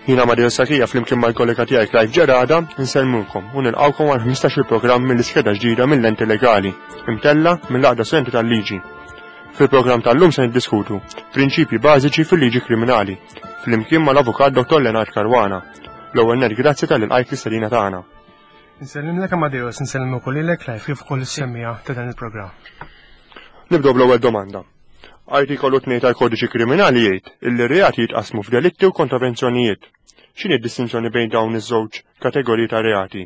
Jien Amadeo Sakija flimkien mal-kollega tiegħi Clive Ġerada nsellmulkom u nilqgħukom għal 15-il programm mill-iskeda ġdida mill-Lenti Legali, imtella mill-Għaqda Studenti tal-Liġi. Fil-programm tal-lum se niddiskutu prinċipji bażiċi fil-liġi kriminali, flimkien mal-Avukat Dr. Leonard Caruana. L-ewwel nett grazzi talli lqajt l-istedina tagħna. Nsellimlek Amadeus, nsellem ukoll lilek Clive kif ukoll is-semmiegħa ta' dan il-programm. Nibdew bl-ewwel domanda. Artikolu 2 tal-Kodiċi Kriminali jgħid illi r-reati jitqassmu f'delitti u kontravenzjonijiet. X'inhi d-distinzjoni bejn dawn iż-żewġ kategoriji ta' reati,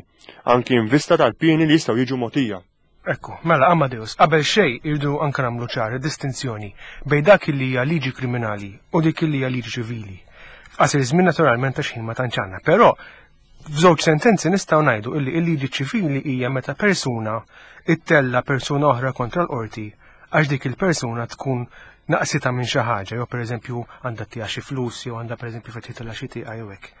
anki in vista tal-pieni li jistgħu jiġu mogħtija? Ekku, mela Amadeus, qabel xejn irridu anke nagħmlu ċar id-distinzjoni bejn dak li hija liġi kriminali u dik li hija liġi ċivili. F'qasir żmien naturalment għax ħin ma tantx għandna, però f'żewġ sentenzi nistgħu ngħidu illi l-liġi ċivili hija meta persuna ittella persuna oħra kontra l-qorti għax dik il-persuna tkun naqsita minn xi ħaġa, jew pereżempju għandha tiegħha xi flus, jew għandha pereżempju fetħitilha xi tieqa jew hekk.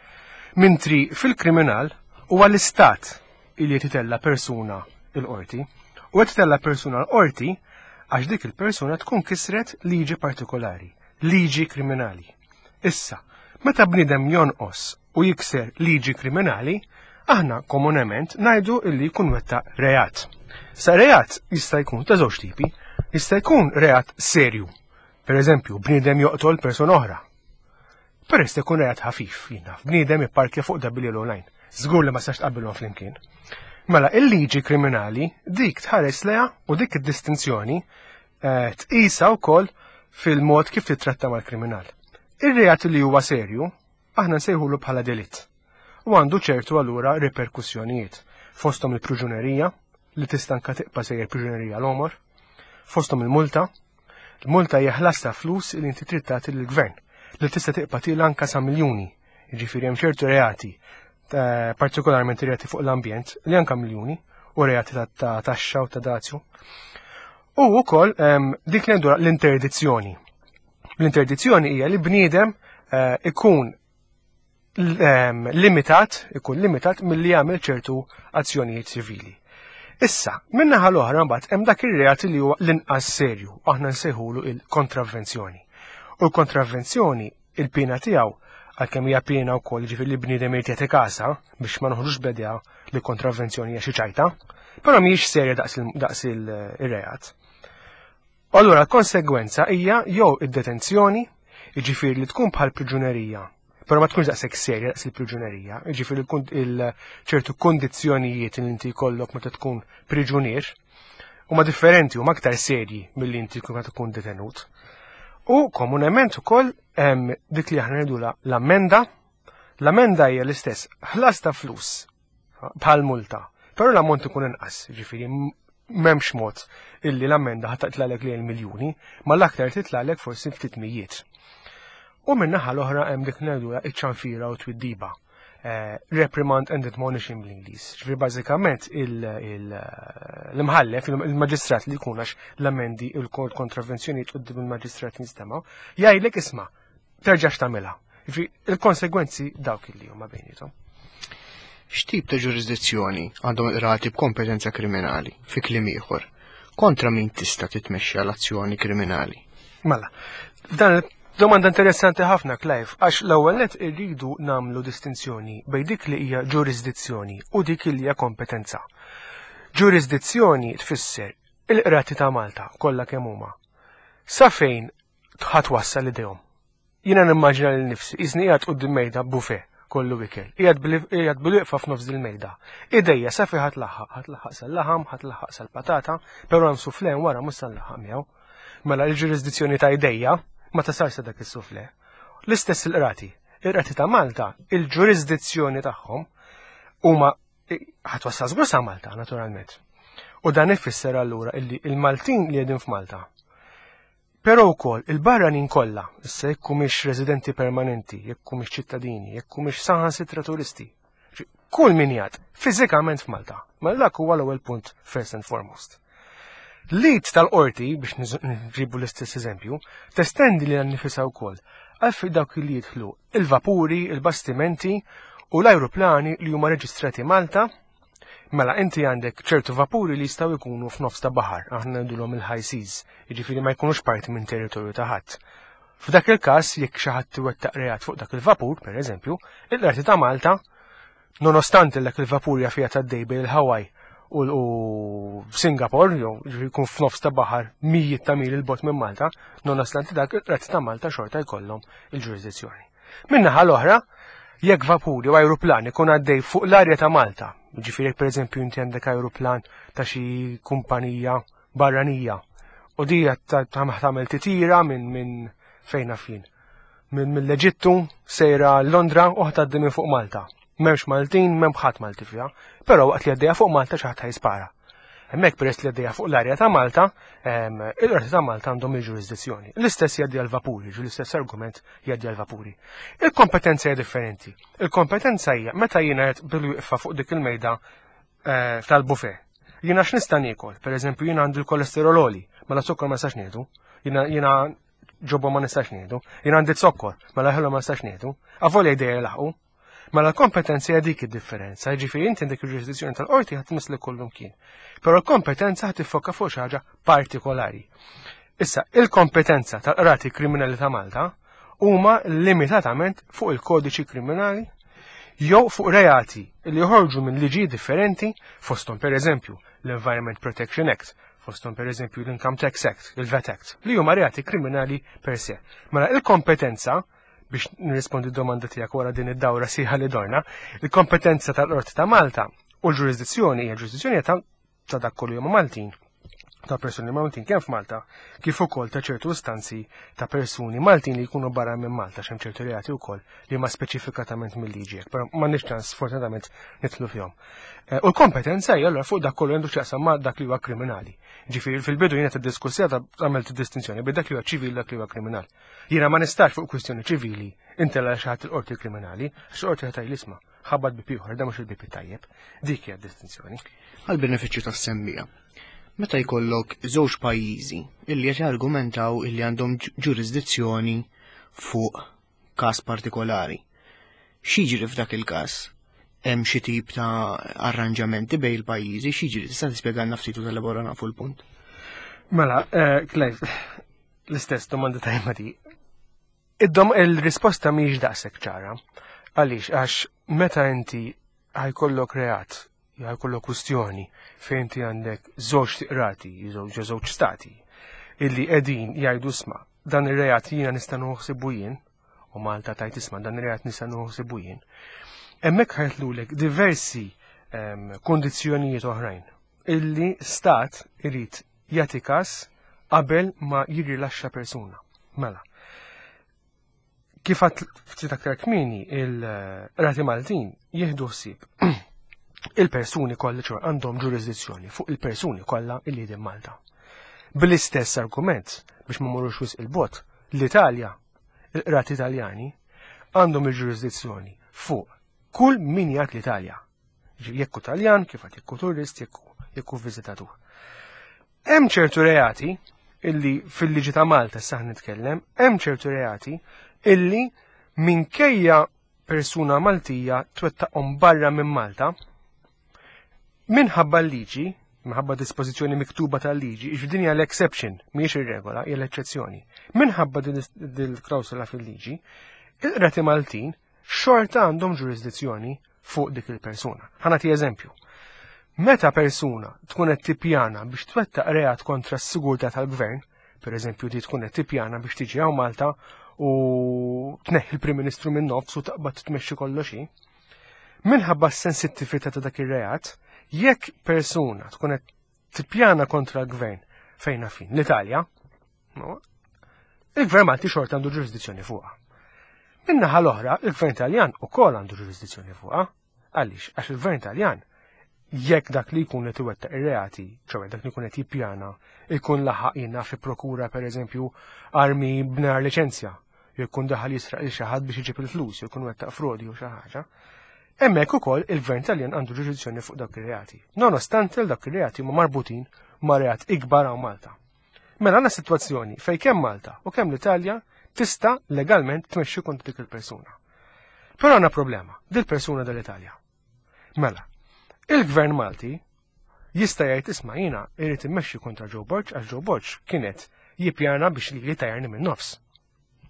Mintri fil-kriminal huwa l-istat illi qed itella' persuna l-qorti u qed itella' persuna l-qorti għax dik il-persuna tkun kisret liġi partikolari, liġi kriminali. Issa, meta bniedem jonqos u jikser liġi kriminali, aħna komunement ngħidu illi jkun wettaq reat. Sa reat jista' jkun ta' żewġ tipi, jista' jkun reat serju. Per eżempju, bniedem joqtol persuna oħra. Però jista' jkun reat ħafif, jien naf, bniedem ipparkja fuq double yellow line. Żgur li ma sax tqabbilhom flimkien. Mela, il-liġi kriminali dik tħares leha u dik id-distinzjoni eh, tqisha wkoll fil-mod kif titratta mal-kriminal. Ir-reat li huwa serju aħna nsejħulu bħala delitt. U għandu ċertu allura riperkussjonijiet, fosthom il-pruġunerija, li tista' anka tibqa' sejjer pruġunerija l-għomor, fosthom il-multa, il-multa hija ħlas ta' flus li inti trid tagħti lill-gvern, li tista' tibqa' tila anka sa miljuni. Jiġifieri hemm ċertu reati, eh, partikolarment reati fuq l-ambjent, li anka miljuni, u reati ta' taxxa u ta' dazju. U wkoll ehm, dik li l-interdizzjoni. L-interdizzjoni hija li bniedem eh, ikun ehm, limitat, ikun limitat milli jagħmel ċertu azzjonijiet ċivili. Issa, minnaħa l-oħra mbagħad hemm dak ir-reat li huwa l-inqas serju, aħna nsejħulu il-kontravvenzjoni. U l-kontravvenzjoni il-pena tiegħu għalkemm hija pena wkoll ġifieri li bniedem irid jagħti kasa biex ma noħroġux b'idea li kontravvenzjoni hija xi ċajta, però mhijiex serja daqs il-reat. Allura l-konsegwenza hija jew id-detenzjoni, jiġifieri li tkun bħal priġunerija, però ma tkunx daqshekk serja daqs il-priġunerija, jiġifieri ċertu kondizzjonijiet li inti jkollok meta tkun priġunier huma differenti huma aktar serji milli inti tkun meta tkun detenut. U komunement ukoll hemm dik li aħna ngħidulha l-ammenda. L-ammenda hija l-istess ħlas ta' flus bħal multa. Però l-ammont ikun inqas, ġifieri m'hemmx mod illi l-ammenda ħa titlalek li miljuni, ma l-aktar titlalek forsi ftit mijiet. U min-naħa l-oħra hemm dik ngħidulha iċ-ċanfira u twiddiba. Eh, reprimand and admonishing bl-Ingliż. Ġifieri bażikament l-imħallef, il-maġistrat li jkun għax l-amendi il-kontravenzjonijiet quddiem il-maġistrat jinstema' jgħidlek isma' terġax tagħmilha. Il-konsegwenzi dawk illi huma bejnietom. X'tip ta' ġurisdizzjoni għandhom il-qrati b'kompetenza kriminali, fi kliem ieħor, kontra min tista' titmexxa l-azzjoni kriminali? Mela, dan domanda interessanti ħafna, Clive, għax l-ewwel net irridu nagħmlu distinzjoni bejn dik li hija ġurisdizzjoni u dik li hija kompetenza. Ġurisdizzjoni tfisser il-qrati ta' Malta kollha kemm huma. Sa fejn ħa twassal idejhom. Jiena nimmaġina lil nifsi, qisni qiegħed quddiem mejda buffet kollu ikel. Qiegħed bil-wieqfa f'nofs dil-mejda. Idejja sa fejn ħa tlaħħaq, ħa tlaħħaq sal-laħam, ħa tlaħħaq sal-patata, però hemm soufflé hemm wara mhux sa nlaħħaq miegħu. Mela l-ġurisdizzjoni ta' idejja ma tasal sa dak is-soufflé. L-istess il-qrati. Il-qrati ta' Malta, il-ġurisdizzjoni tagħhom huma ħa twassal żgur sa Malta, naturalment. U dan ifisser allura illi il-Maltin li qegħdin f'Malta Però wkoll il-barranin kollha, issa jekk humiex residenti permanenti, jekk humiex ċittadini, jekk humiex saħansitra turisti, kull min jgħad fiżikament f'Malta. Mela dak huwa l-ewwel punt first and foremost. L-id tal-qorti, biex nġibu l-istess eżempju, testendi lilha nnifisha wkoll għal fi dawk li jidħlu il-vapuri, il-bastimenti u l-ajruplani li huma reġistrati Malta Mela inti għandek ċertu vapuri li jistgħu jkunu f'nofs ta' baħar, aħna ngħidulhom il-high seas, jiġifieri ma jkunux parti minn territorju ta' ħadd. F'dak il-każ jekk xi ħadd iwettaq reat fuq dak il-vapur, pereżempju, il-Qrati ta' Malta, nonostante dak il-vapur jaf qiegħed għaddej bejn il-Hawaii u Singapore, jew jkun f'nofs ta' baħar mijiet ta' mili 'l bogħod minn Malta, nonostante dak il-Qrati ta' Malta xorta jkollhom il-ġurisdizzjoni. Min-naħa l-oħra, jekk vapur jew ajruplan ikun għaddej fuq l-arja ta' Malta, jiġifieri jekk pereżempju inti għandek ajruplan ta' xi kumpanija barranija u di tagħmel titira minn min fejn naf jien. Minn mill-Eġittu sejra Londra u ħtaddi minn fuq Malta. M'hemmx Maltin, m'hemm ħadd Malti fiha, però waqt li għaddejja fuq Malta xi ħadd ħajspara. Hemmhekk peress li għaddejja fuq l-arja ta' Malta, il-qorti ta' Malta għandhom il-ġurisdizzjoni. L-istess jgħaddi għall-vapuri, ġu l-istess argument jgħaddi għall-vapuri. Il-kompetenza hija differenti. Il-kompetenza hija meta jiena qed bil-wieqfa fuq dik il-mejda eh, tal-buffet. Jiena x'nista' niekol, pereżempju jiena għandi l-kolesterol għoli, mela zokkor ma nistax nieħdu. Jiena jiena ġobba ma nistax nieħdu. Jiena għandi zokkor, mela ħelu ma nistax nieħdu. Avolja jdejja laħqu. Mela l-kompetenza hija dik id-differenza, jiġifieri inti għandek il-ġurisdizzjoni tal-qorti ħadd tmiss kullum kien. Però l-kompetenza ħadd tiffoka fuq xi ħaġa partikolari. Issa, il-kompetenza tal-qrati kriminali ta' Malta huma limitatament fuq il-kodiċi kriminali jew fuq reati li joħorġu minn liġi differenti fosthom pereżempju l-Environment Protection Act, fosthom pereżempju l-Income Tax Act, il-VAT Act, li huma reati kriminali per se. Mela il-kompetenza biex nirrispondi d-domanda tiegħek wara din id-dawra sieħa li dorna, il-kompetenza tal-Qorti ta' Malta u l-ġurisdizzjoni hija ġurisdizzjoni ta' ta' dak kollu huma Maltin ta' persuni Maltin kemm f'Malta kif ukoll ta' ċertu istanzi ta' persuni Maltin li jkunu barra minn Malta x'hemm ċertu reati wkoll li huma speċifikatament mill-liġi hekk, però m'għandniex ċans sfortunatament nidħlu fihom. Eh, u l-kompetenza hija allura fuq dak kollu għandu x'jaqsam ma' dak li huwa kriminali. Ġifieri fil-bidu jiena tiddiskussija għamilt distinzjoni bejn dak li huwa ċivili dak li huwa kriminal. Jiena ma nistax fuq kwistjoni ċivili intella xi ħadd il-qorti kriminali, għax il-qorti ħadd isma' ħabbat bib ieħor, da mhux il-bib tajjeb. Dik hija d-distinzjoni. Għall-benefiċċju tas-semmija. Meta jkollok żewġ pajjiżi illi qed jargumentaw illi għandhom ġurisdizzjoni fuq każ partikolari. X'jiġri f'dak il-każ? Hemm xi tip ta' arranġamenti bejn il-pajjiżi, x'jiġri? Tista' tispjegalna ftit u telaborana fuq il-punt? Mela, eh, Clive, l-istess domanda tajba di. Id-dom il-risposta mhijiex daqshekk ċara. Għaliex għax meta inti ħajkollok reat, ħajkollok kwistjoni fejn inti għandek żewġ tiqrati, jew żewġ stati, illi qegħdin jgħidu sma' dan ir-reat jiena nista' noħsibu jien, u Malta tajt isma' dan ir-reat nista' noħsibu jien. Hemmhekk ħajtlulek diversi ehm, kondizzjonijiet oħrajn illi stat irid jagħti każ qabel ma jirrilaxxa persuna. Mela, kif għat ftit aktar kmieni il-rati Maltin jieħdu ħsieb il-persuni kollha ċor għandhom ġurisdizzjoni fuq il-persuni kollha illi din Malta. Bl-istess argument biex ma morrux wisq il-bot, l-Italja, il-qrati Italjani għandhom il-ġurisdizzjoni fuq kull min jgħid l-Italja. Jekk hu Taljan, kif għad jekk hu turist, jekk hu viżitatur. Hemm ċertu reati illi fil-liġi ta' Malta saħ nitkellem, hemm ċertu reati illi minkejja persuna Maltija twettaqhom barra minn Malta, minħabba l-liġi, minħabba dispożizzjoni miktuba tal-liġi, din hija l-exception, mhijiex ir-regola, hija l-eċċezzjoni. Minħabba din il-klawsola fil-liġi, il-qrati Maltin xorta għandhom ġurisdizzjoni fuq dik il-persuna. Ħa nagħti eżempju. Meta persuna tkun qed tippjana biex twettaq reat kontra s-sigurtà tal-gvern, per eżempju di tkun qed tippjana biex tiġi hawn Malta u tneħħi l-Prim Ministru minn nofs u taqbad tmexxi kollox hi. Minħabba s-sensittività ta' dak ir-reat, jekk persuna tkun qed tippjana kontra l-gvern fejn fin l-Italja, il-gvern Malti xorta għandu ġurisdizzjoni fuqha. Min-naħa l-oħra, il-gvern Taljan ukoll għandu ġurisdizzjoni fuqha. Għaliex? Għax il-gvern Taljan jekk dak li jkun qed iwettaq ir-reati, ċoe dak li jkun qed jippjana, ikun laħaq jiena fi prokura pereżempju armi b'nar liċenzja, jew jkun daħal jisraq lil xi ħadd biex iġib il-flus, jew jkun wettaq frodi jew xi ħaġa. Hemmhekk ukoll il-gvern Taljan għandu ġurisdizzjoni fuq dawk ir-reati. Nonostante dawk ir-reati huma marbutin ma' reat ikbar hawn Malta. Mela għandna sitwazzjoni fejn kemm Malta u kemm l-Italja tista' legalment tmexxi kontra dik il-persuna. Però għandna problema, dil-persuna dal-Italja. Mela, il-Gvern Malti jista' jgħid isma' jiena irrid immexxi kontra Joe Borg għax Joe Borg kienet jippjana biex li tajjarni minn nofs.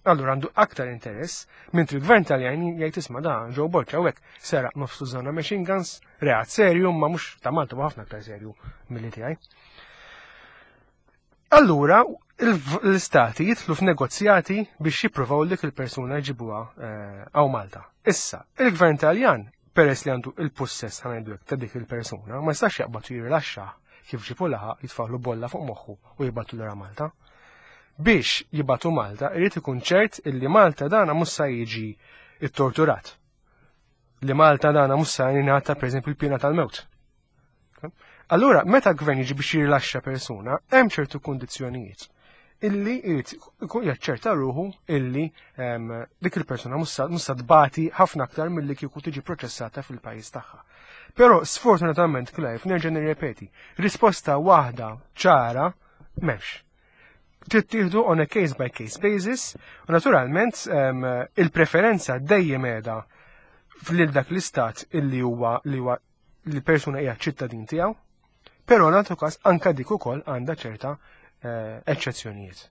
Allura għandu aktar interess, mentri l-gvern Taljan jgħid isma' da Joe Borg hawnhekk seraq nofs tużana machine guns, reat serju, ma mhux ta' Malta huwa ħafna aktar serju milli tiegħi. Allura l-istati jidħlu f'negozjati biex jippruvaw dik il-persuna jġibuha eh, għaw Malta. Issa, il-gvern Taljan, peress li għandu il-pussess ħanajdu ta' dik il-persuna, ma jistax jaqbad jirrilaxxa kif ġipu laħaq jitfaħlu bolla fuq moħħu u jibgħatu lura Malta. Biex jibgħatu Malta, irid ikun ċert illi Malta dana mhux sa jiġi ittorturat. Li Malta dana mhux sa jingħata pereżempju l-pina tal-mewt. Allura, meta gvern jiġi biex jirrilaxxa persuna, hemm ċertu kundizzjonijiet illi jrid ikun jaċċerta ruħu illi ehm, dik il-persuna mhux sa tbati ħafna aktar milli kieku tiġi proċessata fil-pajjiż tagħha. Però sfortunatament Clive nerġa' nirrepeti, risposta waħda ċara m'hemmx. Tittieħdu on a case by case basis u naturalment ehm, il-preferenza dejjem qiegħda lil dak l-istat illi huwa li huwa li persuna hija ċittadin tiegħu, però nagħtu każ anka dik ukoll għandha ċerta eh, eċċezzjonijiet.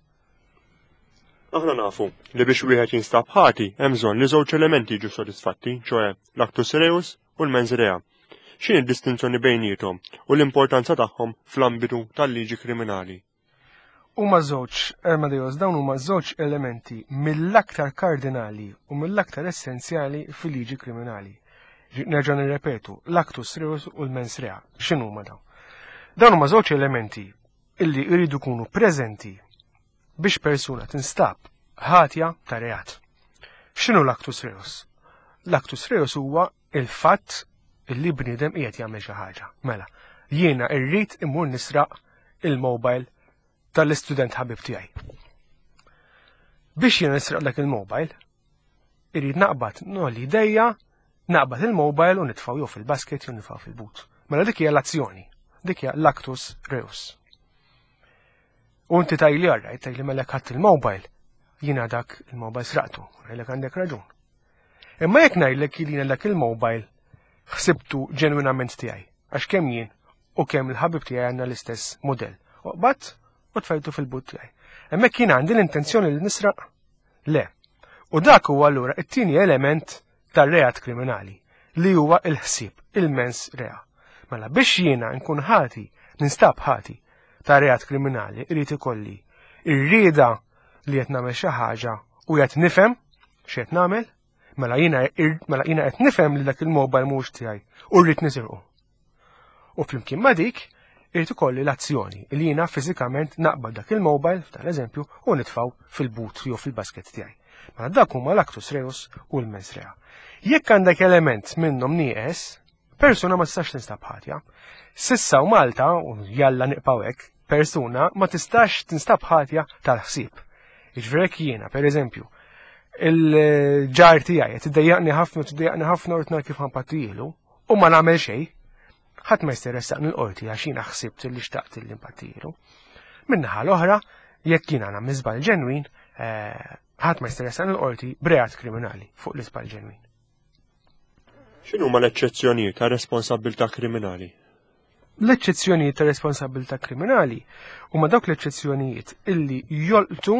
Aħna nafu li biex wieħed jinstab ħati hemm bżonn li żewġ elementi jiġu sodisfatti, ċoe l-actus reus u l-mens rea. X'inhi d-distinzjoni bejniethom u l-importanza tagħhom fl-ambitu tal-liġi kriminali? Huma żewġ, Amadeus, dawn huma żewġ elementi mill-aktar kardinali u mill-aktar essenzjali fil-liġi kriminali. Nerġa' nirrepetu, l-actus reus u l-mens rea. X'inhuma dawn? Dawn huma żewġ elementi illi jridu jkunu preżenti biex persuna tinstab ħatja ta' reat. X'inhu l-actus reus? L-actus reus huwa il-fatt illi bniedem qiegħed jagħmel xi ħaġa. Mela, jiena rrid immur nisraq il-mobile tal-istudent ħabib tiegħi. Biex jiena nisraq dak il-mobile, irrid naqbad nolli idejja, naqbad il-mobile u nitfgħu jew fil-basket jew nitfgħu fil-but. Mela dik hija l-azzjoni, dik hija l-actus reus. U inti tajli għarrajt, tajli mela ħadd il-mobile, jiena dak il-mobile sraqtu, ngħidlek għandek raġun. Imma jekk ngħidlek li jiena dak il-mobile ħsibtu ġenwinament tiegħi, għax kemm jien u kemm il-ħabib tiegħi għandna l-istess mudell. Oqbad u tfajtu fil-but tiegħi. Hemmhekk jien għandi l-intenzjoni li nisraq? Le. U dak huwa allura it-tieni element tar-reat kriminali li huwa il-ħsieb, il-mens rea. Mela biex jiena nkun ħati, ninstab ħati ta' reat kriminali, irid ikolli ir-rieda li qed nagħmel xi ħaġa u qed nifhem x'qed nagħmel, mela jiena mela jiena qed nifhem li dak il-mobile mhux tiegħi u rrid nisirqu. U flimkien ma' dik, irid ikolli l-azzjoni li jiena fiżikament naqbad dak il-mobile, tal-eżempju, u nitfgħu fil-but jew fil-basket tiegħi. Mela dak huma l-actus reus u l-mens rea. Jekk għandek element minnhom nieqes, persuna ma tistax tinstab ħatja. Sissa u Malta, u jalla niqpaw hekk, persuna ma tistax tinstab ħatja tal-ħsieb. Jiġifieri jekk jiena, per eżempju, il-ġar tiegħi qed tiddejjaqni ħafna tiddejjaqni ħafna u rid kif ħampattijielu, u ma nagħmel xejn, ħadd ma jista' jressaqni l-qorti għax jiena ħsibt li xtaqt li mpattijielu. Min-naħa l-oħra, jekk jiena nagħmel żball ġenwin, eh, ħadd ma jista' jressaqni l-qorti b'reat kriminali fuq l-iżball ġenwin. X'inhuma l-eċċezzjonijiet ta' responsabbiltà kriminali? L-eċċezzjonijiet ta' responsabbiltà kriminali huma dawk l-eċċezzjonijiet illi jolqtu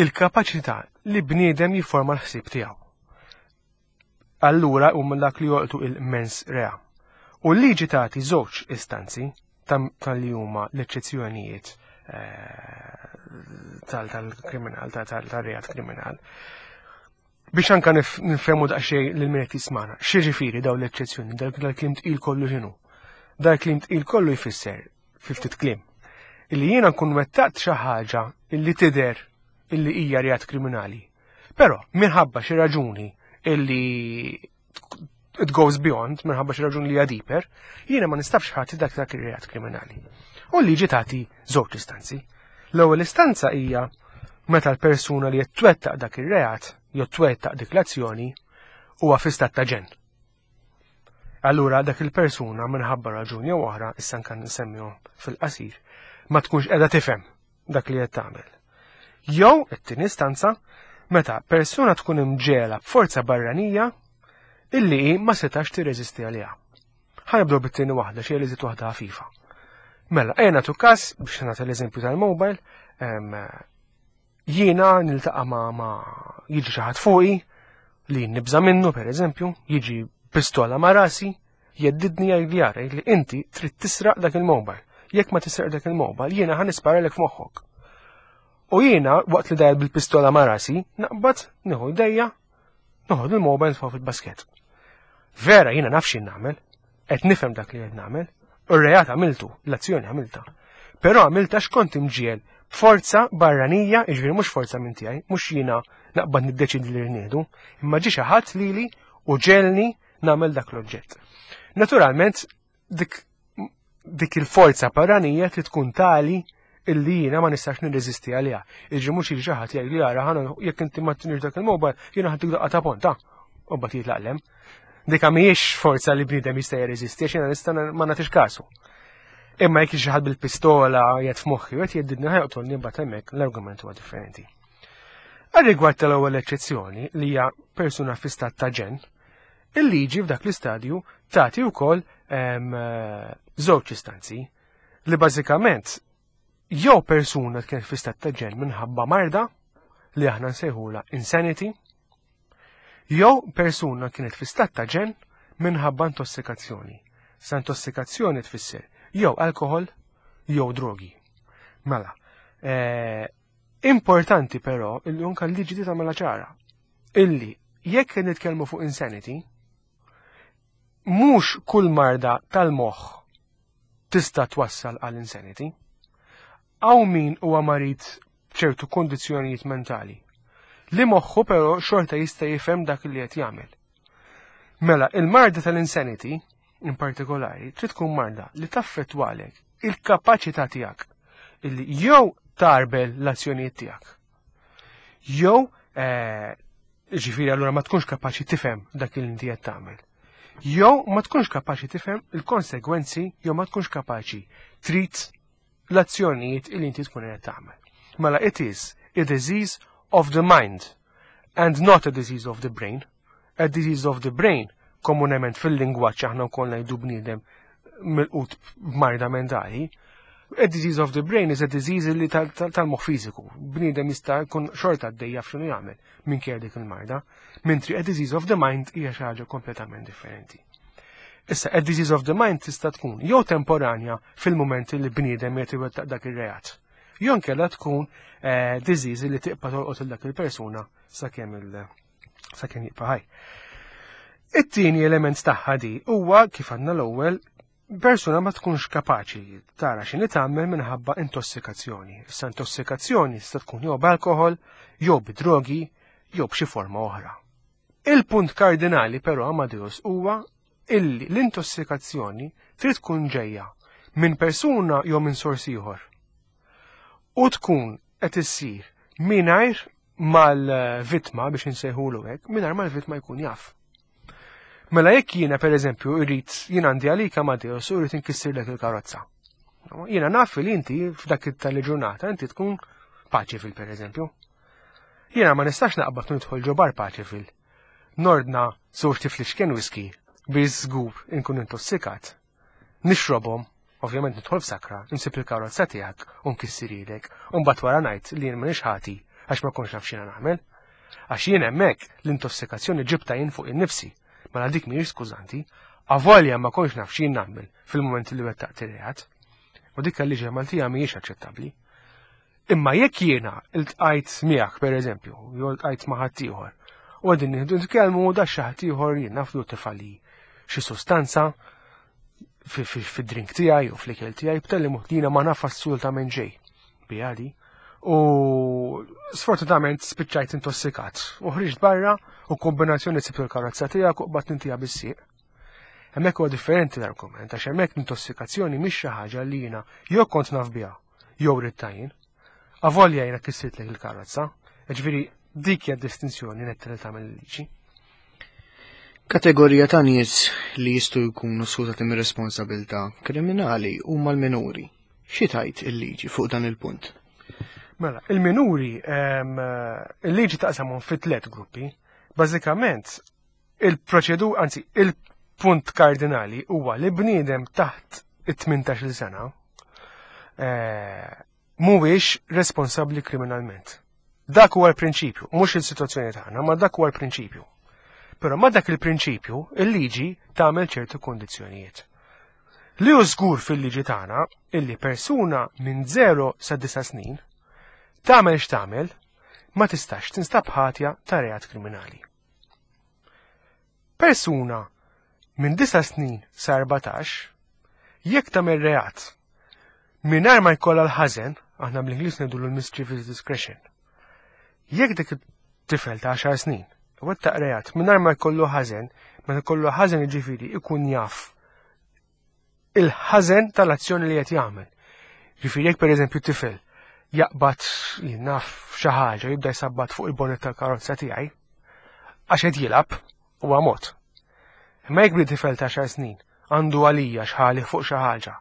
il-kapaċità li bniedem jifforma l-ħsieb tiegħu. Allura huma dak li jolqtu il-mens rea. U l-liġi tagħti żewġ istanzi tal-li huma l-eċċezzjonijiet eh, tal-kriminal, tal-reat kriminal. Biex anka nifhemu daqsxejn lil min qed jismana, x'jiġifieri dawn l-eċċezzjoni, dal-kliem tqil kollu x'inhu? Dal-kliem tqil kollu jfisser fi ftit kliem illi jiena nkun wettaqt xi ħaġa illi tidher illi hija reat kriminali. Però minħabba xi raġuni illi it goes beyond, minħabba xi raġuni li hija deeper, jiena ma nistax ħadd dak dak ir-reat kriminali. U l-liġi tagħti żewġ istanzi. L-ewwel istanza hija meta l-persuna li qed twettaq dak ir-reat jew twettaq dik l-azzjoni huwa fi stat ta' ġenn. Allura dak il-persuna minħabba raġuni jew oħra, issa nkan nsemmihom fil-qasir, ma tkunx qiegħda tifhem dak li qed tagħmel. Jew, it-tieni istanza, meta persuna tkun imġegħla b'forza barranija illi hi ma setax tirreżisti għaliha. Ħa nibdew bit-tieni waħda, xi li waħda ħafifa. Mela, ejja nagħtu każ biex nagħti l-eżempju tal-mobile, Jiena niltaqa' ma' ma' jiġi xi ħadd fuqi li nibża' minnu pereżempju, jiġi pistola ma' rasi, jeddidni jgħidli ara li inti trid tisraq dak il-mobile. Jekk ma tisraq dak il-mobile, jiena ħa nisparalek f'moħħok. U jiena waqt li dajjel bil-pistola ma' rasi, naqbad nieħu jdejja, noħod il-mobile nitfgħu fil-basket. Vera jiena naf x'jien nagħmel, qed nifhem dak li qed nagħmel, u r-reat għamiltu, l-azzjoni għamilta. Però għamilta x'kont imġiel b'forza barranija, jiġifieri mhux forza minn tiegħi, mhux jiena naqbad niddeċidi li rniedu, imma ġie xi ħadd lili u ġelni nagħmel dak l-oġġett. Naturalment, dik dik il-forza barranija trid tkun tali illi jiena ma nistax nirreżisti għaliha. Iġi mhux jiġi xi ħadd jgħid li ara ħana jekk inti ma tinix dak il-mobile jiena ħaddik daqqa ta' ponta u mbagħad jitlaqlem. Dika mhijiex forza li bniedem jista' jirreżisti għax jiena nista' ma nagħtix kasu. Imma jekk xi ħadd bil-pistola jgħid f'moħħi u qed jgħiddidni ħajqtolni mbagħad hemmhekk l-argument huwa differenti. Għal-rigward tal-ewwel eċċezzjoni li hija persuna fi stat ta' ġenn, il-liġi f'dak l-istadju tagħti wkoll żewġ istanzi li bażikament jew persuna kienet fi stat ta' ġenn minħabba marda li aħna nsejħula insanity, jew persuna kienet fi stat ta' ġenn minħabba intossikazzjoni. Sa intossikazzjoni tfisser jew alkohol jew drogi. Mela, eh, importanti però illi unka l-liġi di tagħmilha ċara illi jekk nitkellmu fuq insanity, mhux kull marda tal-moħħ tista' twassal għal insanity. Hawn min huwa marid b'ċertu kondizzjonijiet mentali li moħħu però xorta jista' jifhem dak li qed jagħmel. Mela, il-marda tal-insanity in partikolari trid tkun marda li taffettwalek il-kapaċità tiegħek illi jew tarbel l-azzjonijiet tiegħek. Jew eh, Ġifieri allura ma tkunx kapaċi tifhem dak li inti qed tagħmel. Jew ma tkunx kapaċi tifhem il-konsegwenzi jew ma tkunx kapaċi trid l-azzjonijiet li inti tkun qed tagħmel. Mela it is a disease of the mind and not a disease of the brain. A disease of the brain komunement fil-lingwaġġ aħna wkoll ngħidu bniedem milqut b'marda mentali, a disease of the brain is a disease li tal-moħħ fiżiku. Bniedem jista' jkun xorta għaddej jaf x'inhu jagħmel minkejja dik il-marda, mentri a disease of the mind hija xi ħaġa kompletament differenti. Issa, a disease of the mind tista' tkun jew temporanja fil-mument li bniedem qed iwettaq dak ir-reat. Jew inkella tkun eh, disease li tibqa' tolqot il dak il-persuna sakemm il- sakemm jibqa' ħaj. It-tieni element tagħha di huwa kif għandna l-ewwel persuna ma tkunx kapaċi tara x'inhi tagħmel minħabba intossikazzjoni. Issa intossikazzjoni tista' tkun jew b'alkohol, jew bidrogi, jew b'xi forma oħra. Il-punt kardinali però Amadeus huwa illi l-intossikazzjoni trid tkun ġejja minn persuna jew minn sors ieħor. U tkun qed issir mingħajr mal-vittma biex insejħulu hekk, mingħajr mal-vittma jkun jaf. Mela jekk jiena pereżempju irrid jien għandi għalik Amadeus u rrid inkissirlek il-karozza. Jiena naf li inti f'dak tal-ġurnata inti tkun paċifil pereżempju. Jiena ma nistax naqbad nidħol ġo bar paċifil. Nordna żewġ tiflixken whisky biex żgur inkun intossikat. Nixrobhom, ovvjament nidħol f'sakra, insib il-karozza tiegħek u nkissirhielek, u mbagħad wara ngħid li jien m'iniex ħati għax ma kontx naf x'jiena nagħmel. Għax jien hemmhekk l-intossikazzjoni ġibtha jien fuq innifsi, mela dik mhijiex skużanti, avolja ma kontx naf x'jien nagħmel fil-mument li wettaqt ir-reat. U dik il-liġi Maltija mhijiex aċċettabbli. Imma jekk jiena ltqajt miegħek pereżempju, jew ltqajt ma' ħaddieħor, u qegħdin nieħdu nitkellmu u da xi ħadd ieħor jien naf li tifali xi sostanza fid-drink tiegħi u fl-ikel tiegħi b'tali mod li jiena ma naf assolutament xejn biha di. U sfortunatament spiċċajt intossikat u ħriġt barra u kombinazzjoni sibt il-karozza tiegħek u qbadt intiha bis-sieq. Hemmhekk huwa differenti l-argument għax hemmhekk l-intossikazzjoni mhix xi ħaġa li jiena jew kont naf biha jew ridtha jien. Avolja jiena kissirtlek il-karozza, ġifieri dik hija distinzjoni netta li tagħmel il-liġi. Kategorija ta' nies li jistgħu jkunu skużati mir-responsabilità kriminali huma l-minuri. Xi tgħid il-liġi fuq dan il-punt? Mela, il-minuri il-liġi taqsamhom fi tliet gruppi. Bażikament, il-proċedu, anzi, il-punt kardinali huwa li bniedem taħt it-18 sena eh, mhuwiex responsabbli kriminalment. Dak huwa l-prinċipju, mhux il-sitwazzjoni tagħna, ma dak huwa l-prinċipju. Però ma dak il-prinċipju, il-liġi tagħmel ċertu kondizzjonijiet. Li hu żgur fil-liġi tagħna illi persuna minn 0 sa 9 snin tagħmel x'tagħmel ma tistax tinstab ħatja ta' reat kriminali. Persuna minn 9 snin sa 14 jekk tagħmel reat mingħajr ma jkollha l-ħażen, aħna bl-Ingliż ngħidulu l-mischievous discretion. Jekk dik it-tifel ta' 10 snin wettaq reat mingħajr ma jkollu ħażen, meta jkollu ħażen jiġifieri ikun jaf il-ħażen tal-azzjoni li qed jagħmel. Ġifieri jekk pereżempju tifel jaqbad naf xi ħaġa jibda jsabbat fuq il-bonnet tal-karozza tiegħi għax qed jilgħab huwa mod. Imma jekk bli tifel ta' xar snin għandu għalija xħali fuq xi ħaġa,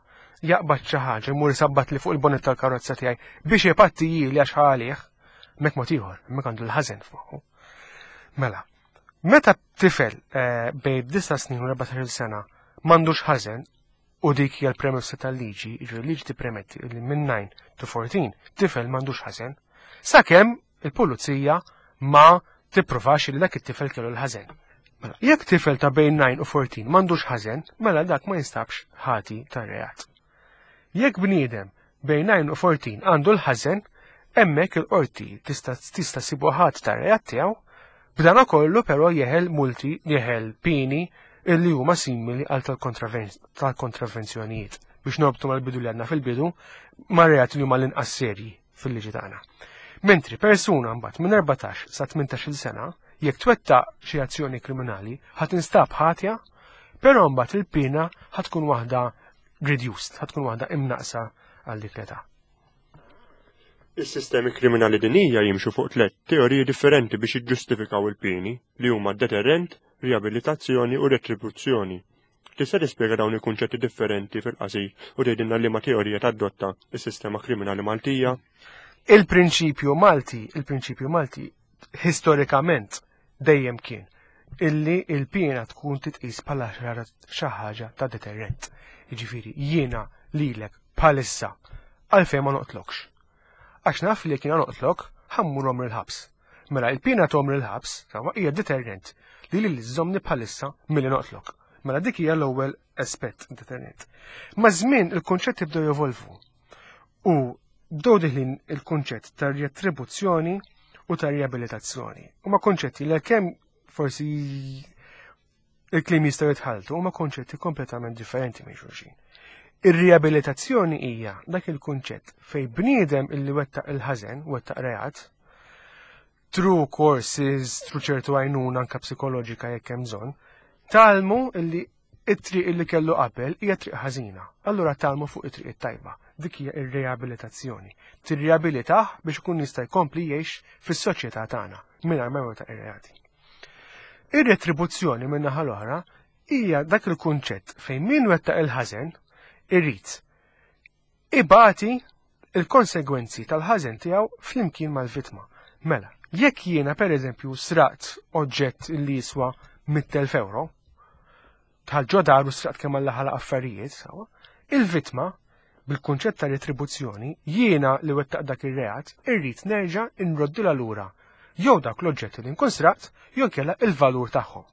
jaqbad xi ħaġa jmur isabbat li fuq il-bonnet tal-karozza tiegħi biex ipatti li għax ħalih, hemmhekk mod ieħor, hemmhekk għandu l-ħażen f'moħħu. Mela, meta tifel eh, bejn 9 snin u 14 sena m'għandux ħażen u dik hija l-premessa tal-liġi, jiġifieri liġi tippremetti li minn 9 to 14 tifel m'għandux ħażen, sakemm il-pulizija ma tippruvax li dak it-tifel kellu l-ħażen. Mela, jekk tifel ta' bejn 9 u 14 m'għandux ħażen, mela dak ma jinstabx ħati tar-reat. Jekk bniedem bejn 9 u 14 għandu l-ħażen, hemmhekk il-qorti tista' tista' sibu ħadd tar-reat tiegħu, b'dana kollu però jeħel multi, jeħel pieni illi huma simili għal tal-kontravenzjonijiet biex norbtu mal-bidu li għandna fil-bidu ma' reat li huma l-inqas serji fil-liġi tagħna. Mentri persuna mbagħad minn 14 sa 18-il sena jekk twettaq xi azzjoni kriminali ħa tinstab ħatja, però mbagħad il-pena ħa tkun waħda reduced, ħa tkun waħda imnaqsa għal dik l-età. Is-sistemi kriminali dinija jimxu fuq tliet teoriji differenti biex jiġġustifikaw il-pieni li huma deterrent, riabilitazzjoni u retribuzzjoni. Tista' tispjega dawn il-kunċetti differenti fil-qasir u tgħidilna liema teorija tadotta s-sistema kriminali Maltija? Il-prinċipju Malti, il-prinċipju Malti historikament dejjem kien illi il-piena tkun titqis bħala xi ħaġa ta' deterrent. Jiġifieri jiena lilek bħalissa għalfejn ma noqtlokx. Għax naf li jekk jiena noqtlok ħammur għomri l-ħabs. Mela il-piena ta' għomri l-ħabs sawa hija deterrent li lili żżommni bħalissa milli noqtlok. Mela dik hija l-ewwel aspett deterrent. Maż-żmien il-kunċetti bdew jevolvu u bdew diħlin il-kunċett ta' riattribuzzjoni u ta' riabilitazzjoni. Huma kunċetti li kemm forsi il-kliem jistgħu jitħalltu huma kunċetti kompletament differenti minn xulxin. Ir-riabilitazzjoni hija dak il-kunċett fej bniedem illi wettaq il-ħażen, wettaq reat, through courses, through ċertu għajnuna anka psikoloġika jekk hemm bżonn, talmu illi it-triq illi kellu qabel hija triq ħażina. Allura talmu fuq it-triq it-tajba. Dik hija ir-riabilitazzjoni. Tirriabilitah biex ikun jista' jkompli jgħix fis-soċjetà tagħna mingħajr ma jwettaq ir-reati. Ir-retribuzzjoni min-naħa l-oħra hija dak il-kunċett fejn min wettaq il-ħażen irid ibati il-konsegwenzi tal-ħażen tiegħu flimkien mal-vittma. Mela, jekk jiena pereżempju sraqt oġġett li jiswa 100,000 euro, bħal ġo dar u sraqt kemm Alla ħalaq affarijiet, sawa, il-vittma bil-kunċett ta' retribuzzjoni jiena li wettaq dak ir-reat irrid nerġa' nroddilha lura jew dak l-oġġetti li nkun sraqt jew inkella il-valur tagħhom.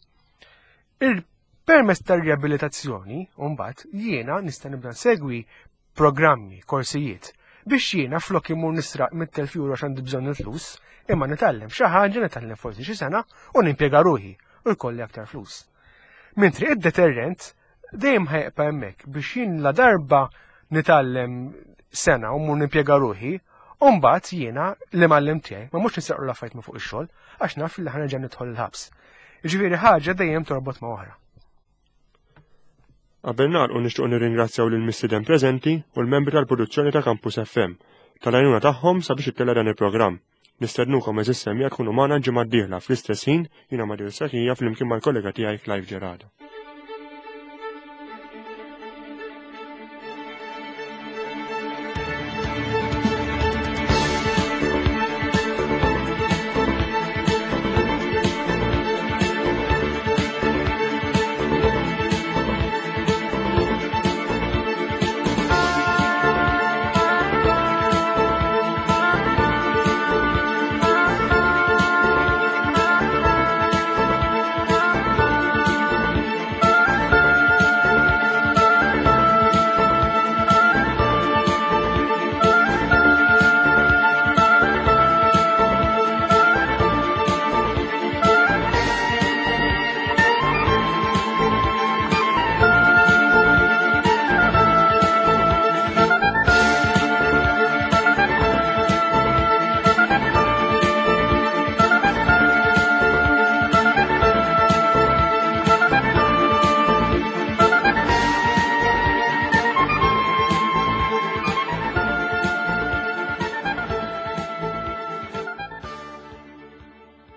Il-permess tar-riabilitazzjoni, mbagħad jiena nista' nibda nsegwi programmi, korsijiet, biex jiena flok imur nisraq mit-telf euro għax għandi bżonn il-flus, imma nitgħallem xi ħaġa, nitgħallem forsi xi sena u nimpjega ruħi u jkolli aktar flus. Mentri id-deterrent dejjem ħajqpa hemmhekk biex jien la darba nitgħallem sena u mur nimpjega ruħi, u mbagħad jiena li mgħallem tiegħi ma mhux nisraqlu l-affarijiet minn fuq ix-xogħol għax naf li ħanerġa' nidħol il-ħabs. Jiġifieri ħaġa dejjem torbot ma' oħra. Qabel nagħlqu nixtiequ nirringrazzjaw lil mistieden preżenti u l-membri tal-produzzjoni ta' Campus FM tal-għajnuna tagħhom sabiex ittella' dan il-programm. Nistednukom għeżież semmiegħa tkunu magħna l-ġimgħa d-dieħla fl-istess ħin jiena Mario Sakija flimkien mal-kollega tiegħi Clive Gerardo.